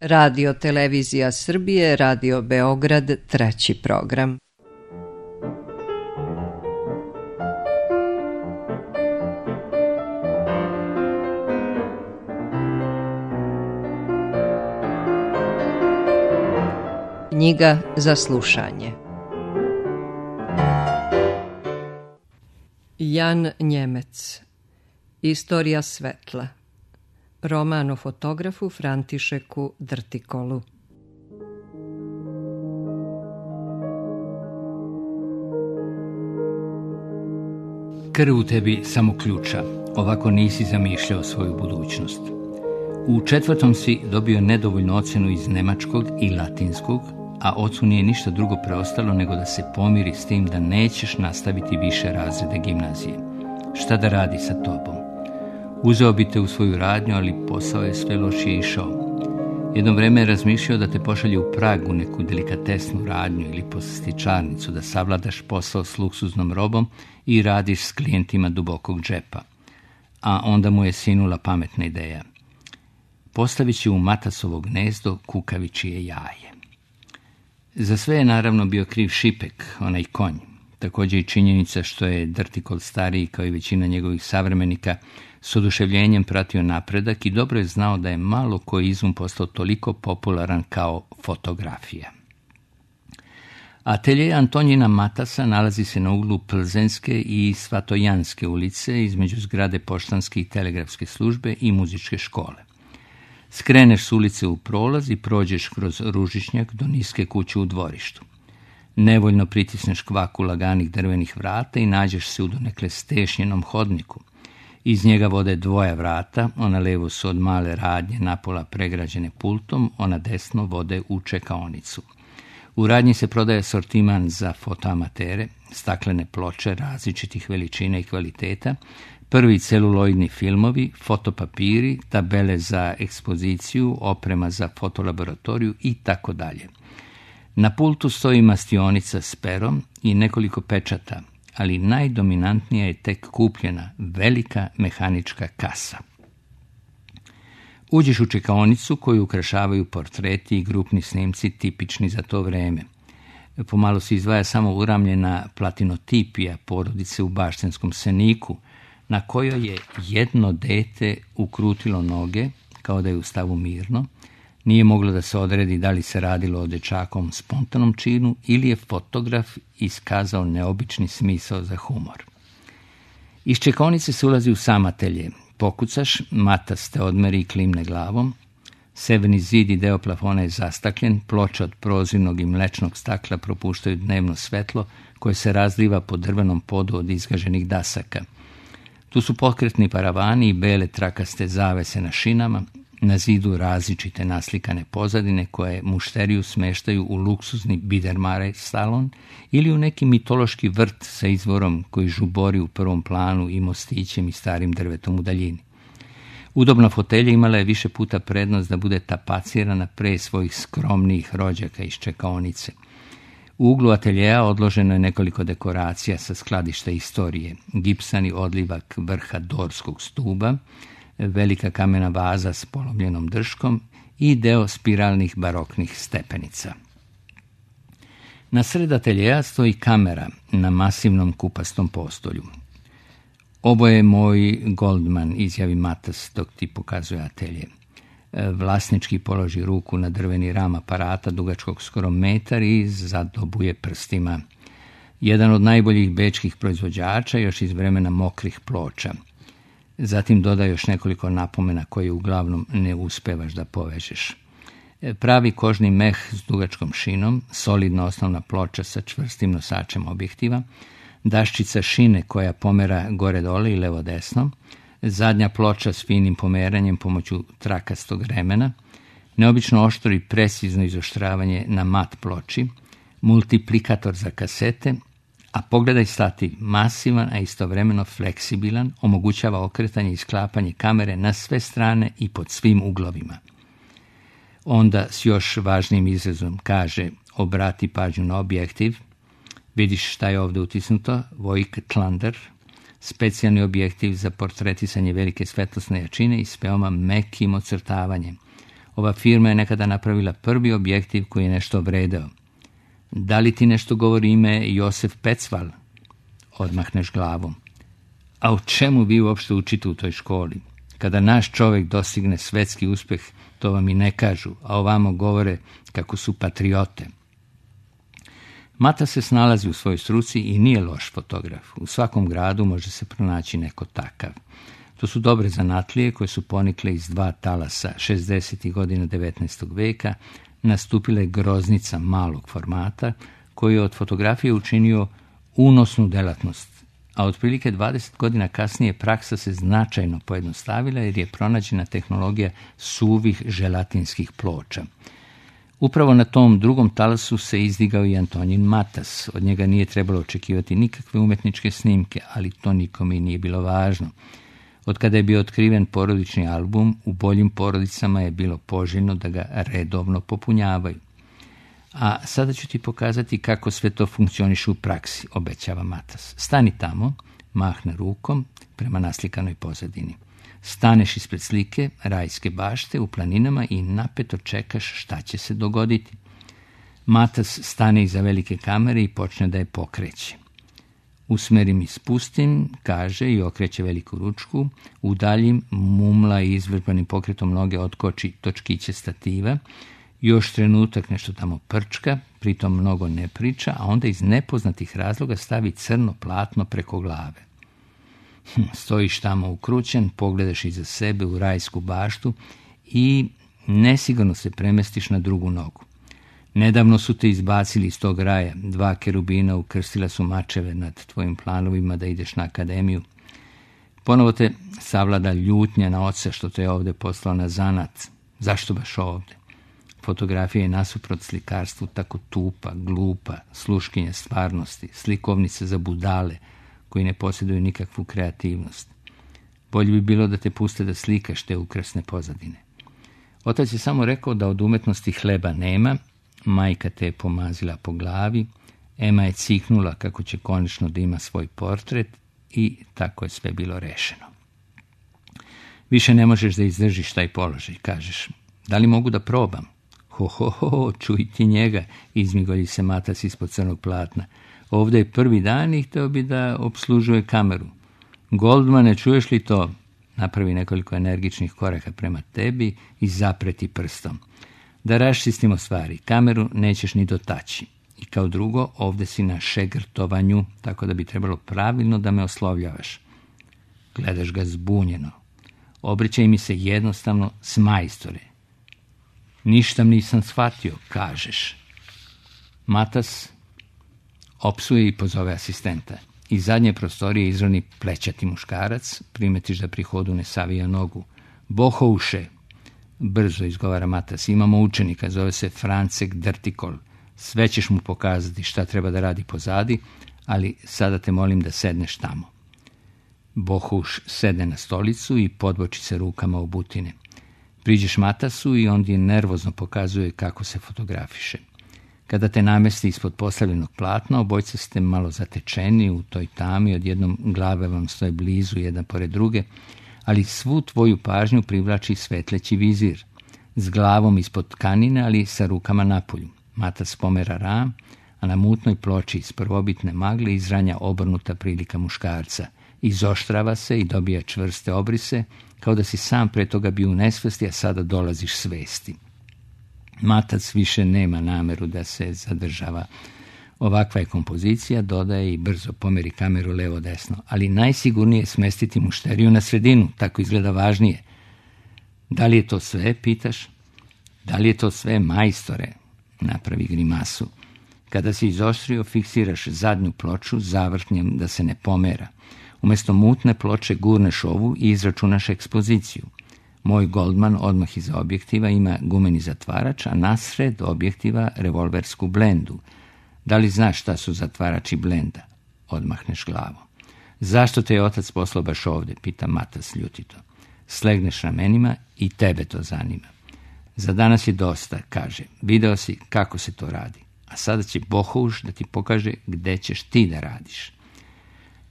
Radio Televizija Srbije, Radio Beograd, treći program. Knjiga za slušanje. Jan Njemec. Istorija svetla. Roman o fotografu Františeku Drtikolu. Krv u tebi samo ključa, ovako nisi zamišljao svoju budućnost. U 4. si dobio nedovoljnu ocjenu iz nemačkog i latinskog, a ocu nije ništa drugo preostalo nego da se pomiri s tim da nećeš nastaviti više razrede gimnazije. Šta da radi sa tobom? Uzeo bi te u svoju radnju, ali posao je sve lošije išao. Jedno vreme je razmišljao da te pošalje u Prag u neku delikatesnu radnju ili poslastičarnicu, da savladaš posao s luksuznom robom i radiš s klijentima dubokog džepa. A onda mu je sinula pametna ideja. Postavit će u Matasovo gnezdo kukavičije jaje. Za sve je naravno bio kriv Šipek, onaj konj. Također i činjenica što je Drtikol stariji, kao i većina njegovih savremenika, s oduševljenjem pratio napredak i dobro je znao da je malo koji izum postao toliko popularan kao fotografija. Atelje Antonjina Matasa nalazi se na uglu Plzenske i Svatojanske ulice između zgrade Poštanske i telegrafske službe i muzičke škole. Skreneš s ulice u prolaz i prođeš kroz Ružičnjak do niske kuće u dvorištu. Nevoljno pritisneš kvaku laganih drvenih vrata i nađeš se u donekle stešnjenom hodniku. Iz njega vode dvoja vrata, ona levo su od male radnje napola pregrađene pultom, ona desno vode u čekaonicu. U radnji se prodaje asortiman za fotoamatere, staklene ploče različitih veličina i kvaliteta, prvi celuloidni filmovi, fotopapiri, tabele za ekspoziciju, oprema za fotolaboratoriju i tako dalje. Na pultu stoji mastionica s perom i nekoliko pečata, ali najdominantnija je tek kupljena velika mehanička kasa. Uđeš u čekaonicu koju ukrašavaju portreti i grupni snimci tipični za to vreme. Pomalo se izdvaja samo uramljena platinotipija porodice u Baštenskom Seniku, na kojoj je jedno dete ukrutilo noge, kao da je u stavu mirno. Nije moglo da se odredi da li se radilo o dečakom spontanom činu ili je fotograf iskazao neobični smisao za humor. Iz čekaonice se ulazi u sam atelje. Pokucaš, Matas te odmeri i klimne glavom. Severni zid i deo plafona je zastakljen, ploče od prozirnog i mlečnog stakla propuštaju dnevno svetlo koje se razliva po drvenom podu od izgaženih dasaka. Tu su pokretni paravani i bele trakaste zavese na šinama, na zidu različite naslikane pozadine koje mušteriju smeštaju u luksuzni Biedermeier salon ili u neki mitološki vrt sa izvorom koji žubori u prvom planu i mostićem i starim drvetom u daljini. Udobna fotelja imala je više puta prednost da bude tapacirana pre svojih skromnijih rođaka iz čekaonice. U uglu ateljeja odloženo je nekoliko dekoracija sa skladišta istorije, gipsani odlivak vrha dorskog stuba, velika kamena vaza s polomljenom drškom i deo spiralnih baroknih stepenica. Na sred ateljeja stoji kamera na masivnom kupastom postolju. Ovo je moj Goldman, izjavi Matas dok ti pokazuje atelje. Vlasnički položi ruku na drveni ram aparata dugačkog skoro metar i zadobuje prstima. Jedan od najboljih bečkih proizvođača još iz vremena mokrih ploča. Zatim doda još nekoliko napomena koje uglavnom ne uspevaš da povežeš. Pravi kožni meh s dugačkom šinom, solidna osnovna ploča sa čvrstim nosačem objektiva, daščica šine koja pomera gore-dole i levo-desno, zadnja ploča s finim pomeranjem pomoću trakastog remena, neobično oštro i precizno izoštravanje na mat ploči, multiplikator za kasete, a pogledaj stati, masivan, a istovremeno fleksibilan, omogućava okretanje i sklapanje kamere na sve strane i pod svim uglovima. Onda s još važnim izrazom kaže, obrati pažnju na objektiv, vidiš šta je ovdje utisnuto, Voigtlander, specijalni objektiv za portretisanje velike svetlosne jačine i s veoma mekim ocrtavanjem. Ova firma je nekada napravila prvi objektiv koji je nešto vredeo. Da li ti nešto govori ime Josef Pecval? Odmahneš glavom. A o čemu vi uopšte učite u toj školi? Kada naš čovjek dostigne svetski uspjeh, to vam i ne kažu, a ovamo govore kako su patriote. Mata se snalazi u svojoj struci i nije loš fotograf. U svakom gradu može se pronaći neko takav. To su dobre zanatlije koje su ponikle iz dva talasa 60. godina 19. veka, nastupile groznica malog formata koji je od fotografije učinio unosnu delatnost, a otprilike 20 godina kasnije praksa se značajno pojednostavila jer je pronađena tehnologija suvih želatinskih ploča. Upravo na tom drugom talasu se izdigao i Antonin Matas. Od njega nije trebalo očekivati nikakve umetničke snimke, ali to nikome i nije bilo važno. Od kada je bio otkriven porodični album, u boljim porodicama je bilo poželjno da ga redovno popunjavaju. A sada ću ti pokazati kako sve to funkcioniše u praksi, obećava Matas. Stani tamo, mahne rukom prema naslikanoj pozadini. Staneš ispred slike rajske bašte u planinama i napeto čekaš šta će se dogoditi. Matas stane iza velike kamere i počne da je pokreće. Usmerim i spustim, kaže i okreće veliku ručku, udaljim, mumla i izvežbanim pokretom noge otkoči točkiće stativa, još trenutak nešto tamo prčka, pritom mnogo ne priča, a onda iz nepoznatih razloga stavi crno platno preko glave. Stojiš tamo ukrućen, pogledaš iza sebe u rajsku baštu i nesigurno se premestiš na drugu nogu. Nedavno su te izbacili iz tog raja, 2 kerubina ukrstila su mačeve nad tvojim planovima da ideš na akademiju. Ponovo te savlada ljutnja na oca što te je ovdje poslao na zanat. Zašto baš ovdje? Fotografija je nasuprot slikarstvu tako tupa, glupa, sluškinja stvarnosti, slikovnice za budale koji ne posjeduju nikakvu kreativnost. Bolje bi bilo da te puste da slikaš te ukrasne pozadine. Otac je samo rekao da od umetnosti hleba nema, majka te je pomazila po glavi, Ema je ciknula kako će konačno da ima svoj portret i tako je sve bilo rešeno. Više ne možeš da izdržiš taj položaj, kažeš. Da li mogu da probam? Ho, čuj ti njega, izmigolji se Matas ispod crnog platna. Ovdje je prvi dan i htio bi da obslužuje kameru. Goldmane, čuješ li to? Napravi nekoliko energičnih koraka prema tebi i zapreti prstom. Da raščistimo stvari, kameru nećeš ni dotaći. I kao drugo, ovdje si na šegrtovanju, tako da bi trebalo pravilno da me oslovljavaš. Gledaš ga zbunjeno. Obraćaj mi se jednostavno s majstore. Ništa nisam shvatio, kažeš. Matas opsuje i pozove asistenta. Iz zadnje prostorije izroni plećati muškarac, primetiš da pri hodu ne savija nogu. Bohouše, brzo izgovara Matas, imamo učenika, zove se Francek Drtikol. Sve ćeš mu pokazati šta treba da radi pozadi, ali sada te molim da sedneš tamo. Bohuš sede na stolicu i podboči se rukama u butine. Priđeš Matasu i on ti nervozno pokazuje kako se fotografiše. Kada te namesti ispod postavljenog platna, obojca ste malo zatečeni u toj tami, odjednom glave vam stoje blizu jedan pored druge, ali svu tvoju pažnju privlači svetleći vizir, s glavom ispod tkanine, ali sa rukama napolju. Matas pomera ram, a na mutnoj ploči iz prvobitne magle izranja obrnuta prilika muškarca. Izoštrava se i dobija čvrste obrise, kao da si sam pre toga bio u nesvesti, a sada dolaziš svesti. Matac više nema nameru da se zadržava. Ovakva je kompozicija, dodaje i brzo pomeri kameru levo-desno, ali najsigurnije je smestiti mušteriju na sredinu, tako izgleda važnije. Da li je to sve, pitaš? Da li je to sve, majstore? Napravi grimasu. Kada si izoštrio, fiksiraš zadnju ploču završnjem da se ne pomera. Umjesto mutne ploče gurneš ovu i izračunaš ekspoziciju. Moj Goldman odmah iza objektiva ima gumeni zatvarač, a nasred objektiva revolversku blendu. Da li znaš šta su zatvarači blenda? Odmahneš glavom. Zašto te je otac poslao baš ovdje? Pita Matas ljutito. Slegneš ramenima i tebe to zanima. Za danas je dosta, kaže. Video si kako se to radi. A sada će Bohuš da ti pokaže gde ćeš ti da radiš.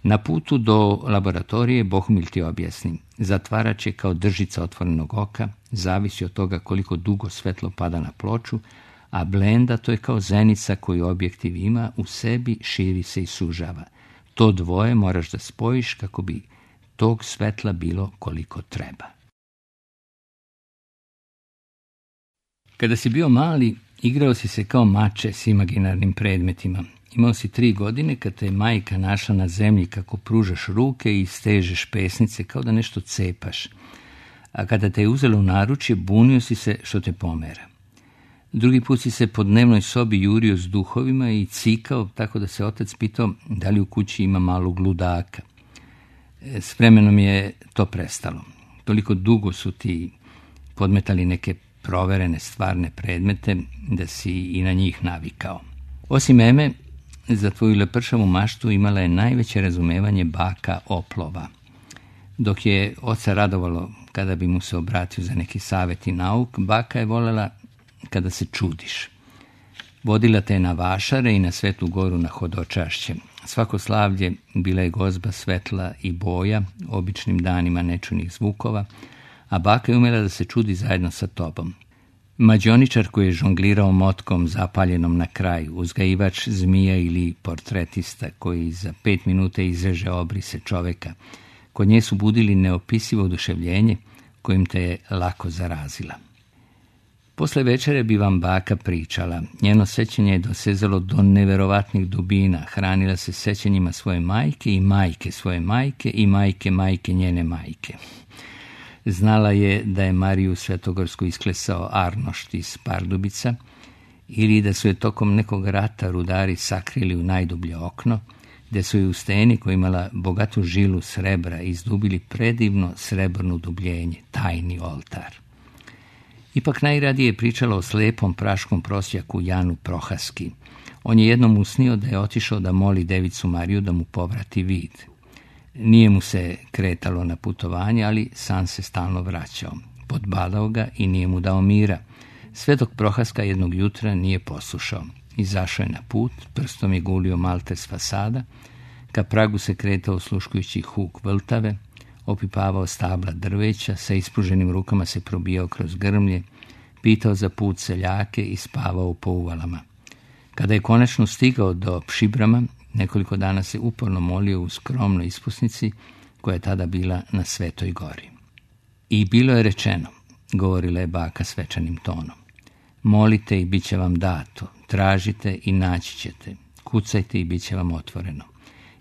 Na putu do laboratorije Bohumil ti objasni. Zatvarač je kao držica otvorenog oka, zavisi od toga koliko dugo svetlo pada na ploču, a blenda to je kao zenica koju objektiv ima, u sebi širi se i sužava. To dvoje moraš da spojiš kako bi tog svetla bilo koliko treba. Kada si bio mali, igrao si se kao mače s imaginarnim predmetima. Imao si 3 godine kad te je majka našla na zemlji kako pružaš ruke i stežeš pesnice kao da nešto cepaš. A kada te je uzela u naručje, bunio si se što te pomera. Drugi put si se po dnevnoj sobi jurio s duhovima i cikao tako da se otac pitao da li u kući ima malog ludaka. S vremenom je to prestalo. Toliko dugo su ti podmetali neke proverene stvarne predmete da si i na njih navikao. Osim meme, za tvoju lepršavu maštu imala je najveće razumevanje baka Oplova. Dok je oca radovalo kada bi mu se obratio za neki savjet i nauk, baka je voljela kada se čudiš. Vodila te na vašare i na Svetu Goru na hodočašće. Svako slavlje bila je gozba svetla i boja, običnim danima nečunih zvukova, a baka je umela da se čudi zajedno sa tobom. Mađioničar koji je žonglirao motkom zapaljenom na kraju, uzgajivač zmija ili portretista koji za 5 minuta izreže obrise čoveka, kod nje su budili neopisivo oduševljenje kojim te je lako zarazila. Posle večere bi vam baka pričala. Njeno sećanje je dosezalo do neverovatnih dubina. Hranila se sećanjima svoje majke i majke svoje majke i majke njene majke. Znala je da je Mariju Svetogorsku isklesao Arnošt iz Pardubica ili da su je tokom nekog rata rudari sakrili u najdublje okno, gde su je u steni koja imala bogatu žilu srebra izdubili predivno srebrno dubljenje, tajni oltar. Ipak najradije je pričala o slepom praškom prosjaku Janu Prohaski. On je jednom usnio da je otišao da moli Devicu Mariju da mu povrati vid. Nije mu se kretalo na putovanje, ali sam se stalno vraćao. Podbadao ga i nije mu dao mira. Sve dok Prohaska jednog jutra nije poslušao. Izašao je na put, prstom je gulio malte s fasada, ka pragu se kretao sluškujući huk vrtave, opipavao stabla drveća, sa ispruženim rukama se probijao kroz grmlje, pitao za put seljake i spavao po uvalama. Kada je konačno stigao do Pšibrama, nekoliko dana se uporno molio u skromnoj ispusnici koja je tada bila na Svetoj Gori. I bilo je rečeno, govorila je baka svečanim tonom, molite i bit će vam dato, tražite i naći ćete, kucajte i bit će vam otvoreno.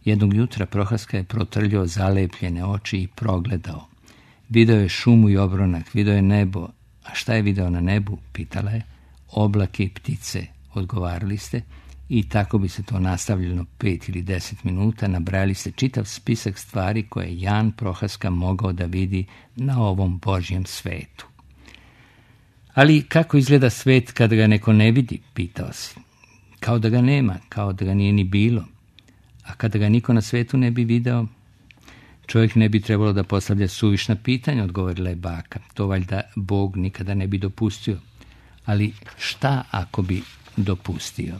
Jednog jutra Prohaska je protrljao zalepljene oči i progledao. Video je šumu i obronak, video je nebo. A šta je video na nebu, pitala je. Oblake i ptice, odgovarali ste, i tako bi se to nastavljeno 5 ili 10 minuta, nabrajali ste čitav spisak stvari koje je Jan Prohaska mogao da vidi na ovom Božjem svetu. Ali kako izgleda svet kada ga neko ne vidi, pitao si. Kao da ga nema, kao da ga nije ni bilo. A kada ga niko na svetu ne bi video, čovjek ne bi trebalo da postavlja suvišna pitanja, odgovorila je baka. To valjda Bog nikada ne bi dopustio. Ali šta ako bi dopustio?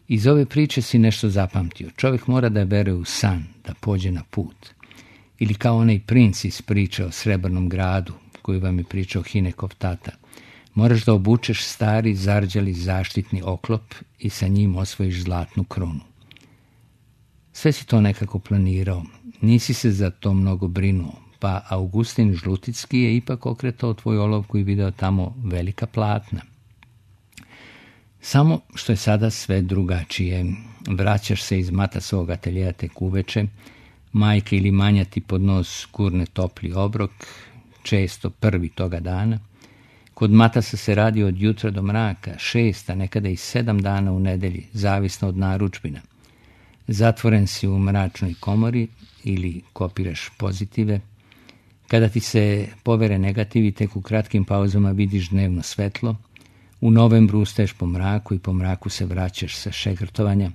Iz ove priče si nešto zapamtio. Čovjek mora da veruje u san, da pođe na put. Ili kao onaj princ iz priče o Srebrnom gradu, koju vam je pričao Hinekov tata. Moraš da obučeš stari, zarđali zaštitni oklop i sa njim osvojiš zlatnu krunu. Sve si to nekako planirao, nisi se za to mnogo brinuo, pa Augustin Žluticki je ipak okretao tvoju olovku i video tamo velika platna. Samo što je sada sve drugačije. Vraćaš se iz mata svog ateljeja tek uveče, majka ili manja ti pod nos gurne topli obrok, često prvi toga dana. Kod matasa se radi od jutra do mraka, 6, a nekada i 7 dana u nedelji, zavisno od narudžbina. Zatvoren si u mračnoj komori ili kopiraš pozitive. Kada ti se povere negativi, tek u kratkim pauzama vidiš dnevno svetlo. U novembru ustaješ po mraku i po mraku se vraćaš sa šegrtovanja.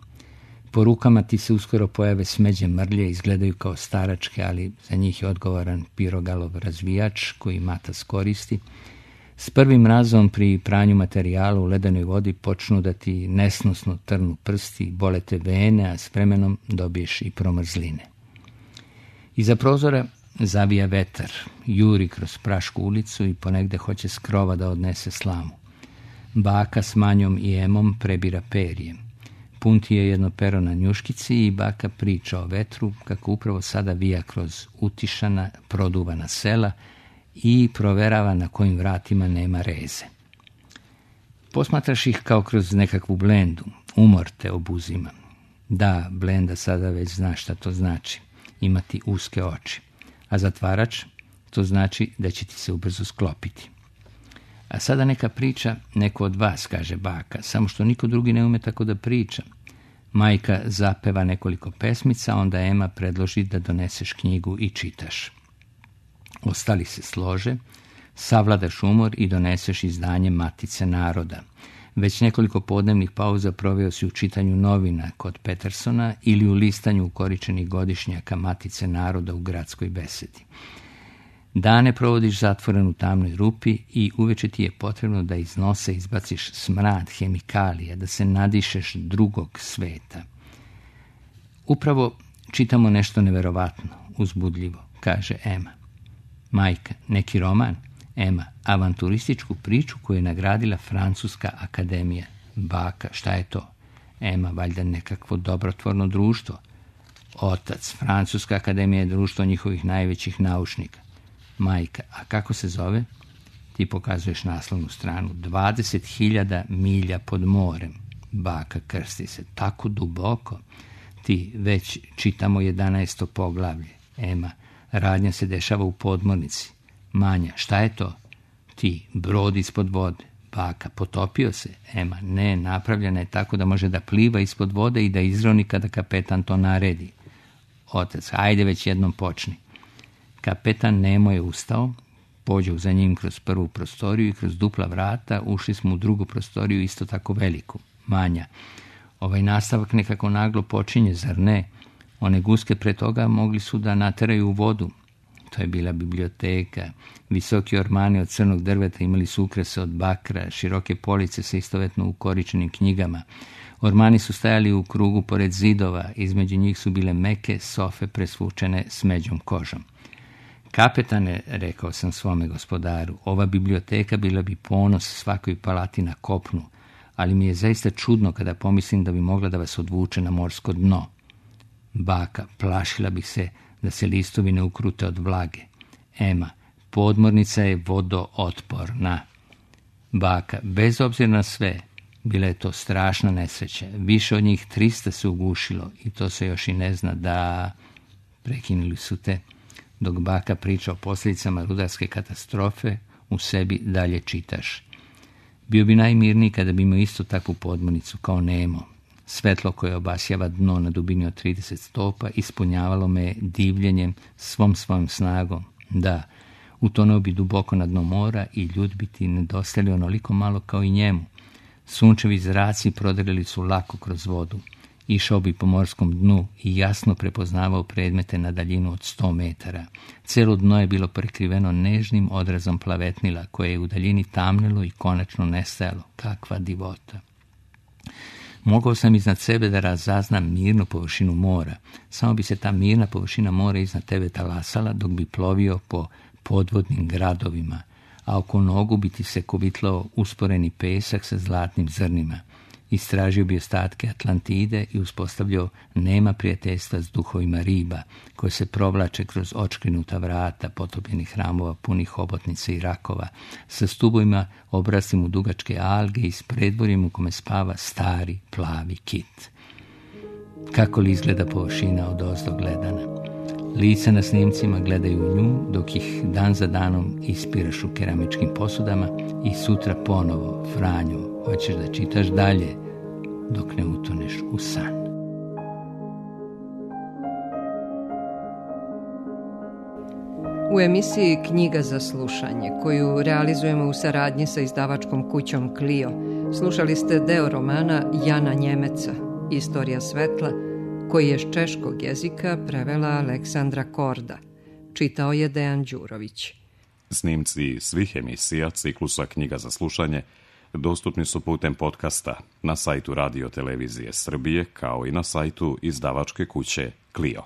Po rukama ti se uskoro pojave smeđe mrlje, izgledaju kao staračke, ali za njih je odgovoran pirogalov razvijač koji matas koristi. S prvim mrazom pri pranju materijala u ledenoj vodi počnu da ti nesnosno trnu prsti, bole te vene, a s vremenom dobiješ i promrzline. Iza prozora zavija vetar, juri kroz prašku ulicu i ponegde hoće s krova da odnese slamu. Baka s Manjom i Emom prebira perje. Punti je jedno pero na njuškici i baka priča o vetru kako upravo sada vija kroz utišana, produvana sela i proverava na kojim vratima nema reze. Posmatraš ih kao kroz nekakvu blendu, umor te obuzima. Da, blenda sada već zna šta to znači, imati uske oči. A zatvarač, to znači da će ti se ubrzo sklopiti. A sada neka priča neko od vas, kaže baka, samo što niko drugi ne ume tako da priča. Majka zapeva nekoliko pesmica, onda Ema predloži da doneseš knjigu i čitaš. Ostali se slože, savladaš umor i doneseš izdanje Matice naroda. Već nekoliko podnevnih pauza proveo si u čitanju novina kod Petersona ili u listanju ukoričenih godišnjaka Matice naroda u gradskoj besedi. Dane provodiš zatvoren u tamnoj rupi i uveče ti je potrebno da iz nosa izbaciš smrad hemikalija, da se nadišeš drugog sveta. Upravo čitamo nešto neverovatno, uzbudljivo, kaže Ema. Majka, neki roman? Ema, avanturističku priču koju je nagradila Francuska akademija. Baka, šta je to? Ema, valjda nekakvo dobrotvorno društvo. Otac, Francuska akademija je društvo njihovih najvećih naučnika. Majka, a kako se zove? Ti pokazuješ naslovnu stranu. 20.000 milja pod morem. Baka krsti se. Tako duboko. Ti, već čitamo 11. poglavlje. Ema, radnja se dešava u podmornici. Manja, šta je to? Ti, brod ispod vode. Baka, potopio se. Ema, ne, napravljena je tako da može da pliva ispod vode i da izroni kada kapetan to naredi. Otac, ajde već jednom počni. Kapetan Nemo je ustao, pođe za njim kroz prvu prostoriju i kroz dupla vrata ušli smo u drugu prostoriju isto tako veliku. Manja, ovaj nastavak nekako naglo počinje, zar ne? One guske pre toga mogli su da nateraju u vodu. To je bila biblioteka. Visoki ormani od crnog drveta imali su ukrase od bakra, široke police sa istovetno ukoričenim knjigama. Ormani su stajali u krugu pored zidova, između njih su bile meke sofe presvučene smeđom kožom. Kapetane, rekao sam svome gospodaru, ova biblioteka bila bi ponos svakoj palati na kopnu, ali mi je zaista čudno kada pomislim da bi mogla da vas odvuče na morsko dno. Baka, plašila bih se da se listovi ne ukrute od vlage. Ema, podmornica je vodootporna. Baka, bez obzira na sve, bila je to strašna nesreća. Više od njih 300 se ugušilo i to se još i ne zna da... Prekinuli su te. Dok baka priča o posljedicama rudarske katastrofe, u sebi dalje čitaš. Bio bi najmirniji kada bi imao isto takvu podmornicu kao Nemo. Svetlo koje obasjava dno na dubini od 30 stopa ispunjavalo me divljenjem svom svojom snagom. Da, utonuo bi duboko na dno mora i ljud bi ti nedostajali onoliko malo kao i njemu. Sunčevi zraci prodreli su lako kroz vodu. Išao bi po morskom dnu i jasno prepoznavao predmete na daljinu od 100 metara. Celo dno je bilo prekriveno nežnim odrazom plavetnila, koje je u daljini tamnilo i konačno nestajalo. Kakva divota! Mogao sam iznad sebe da razaznam mirnu površinu mora. Samo bi se ta mirna površina mora iznad tebe talasala dok bi plovio po podvodnim gradovima, a oko nogu bi ti se kovitlao usporeni pesak sa zlatnim zrnima. Istražio bi ostatke Atlantide i uspostavljao nema prijateljstva s duhovima riba, koje se provlače kroz očkrinuta vrata potopljenih hramova punih hobotnica i rakova, sa stubovima obraslim u dugačke alge i s predvorjem u kome spava stari plavi kit. Kako li izgleda površina od ozdo gledana? Lica na snimcima gledaju u nju, dok ih dan za danom ispiraš u keramičkim posudama i sutra ponovo, Franjo, hoćeš da čitaš dalje dok ne utoneš u san. U emisiji Knjiga za slušanje, koju realizujemo u saradnji sa izdavačkom kućom Clio, slušali ste deo romana Jana Njemeca, Istorija svetla, koji je s češkog jezika prevela Aleksandra Korda. Čitao je Dejan Đurović. Snimci svih emisija ciklusa Knjiga za slušanje dostupni su putem podcasta na sajtu Radio Televizije Srbije, kao i na sajtu izdavačke kuće Clio.